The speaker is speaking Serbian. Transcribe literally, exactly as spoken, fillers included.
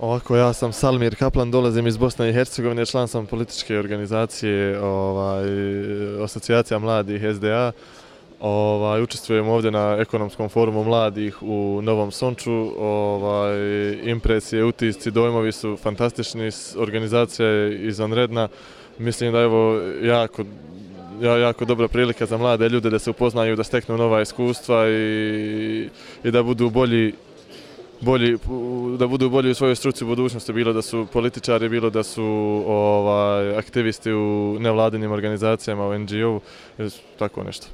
Ovako, ja sam Salmir Kaplan, dolazim iz Bosne i Hercegovine, član sam političke organizacije, ovaj, asocijacija mladih S D A. Ovaj, učestvujem ovdje na ekonomskom forumu mladih u Novom Sonču. Ovaj, impresije, utisci, dojmovi su fantastični, organizacija je izvanredna. Mislim da je ovo jako, jako dobra prilika za mlade ljude da se upoznaju, da steknu nova iskustva i, i da budu bolji bolji, da budu bolji u svojoj struci u budućnosti, bilo da su političari, bilo da su ovaj, aktivisti u nevladinim organizacijama, u N G O-u, tako nešto.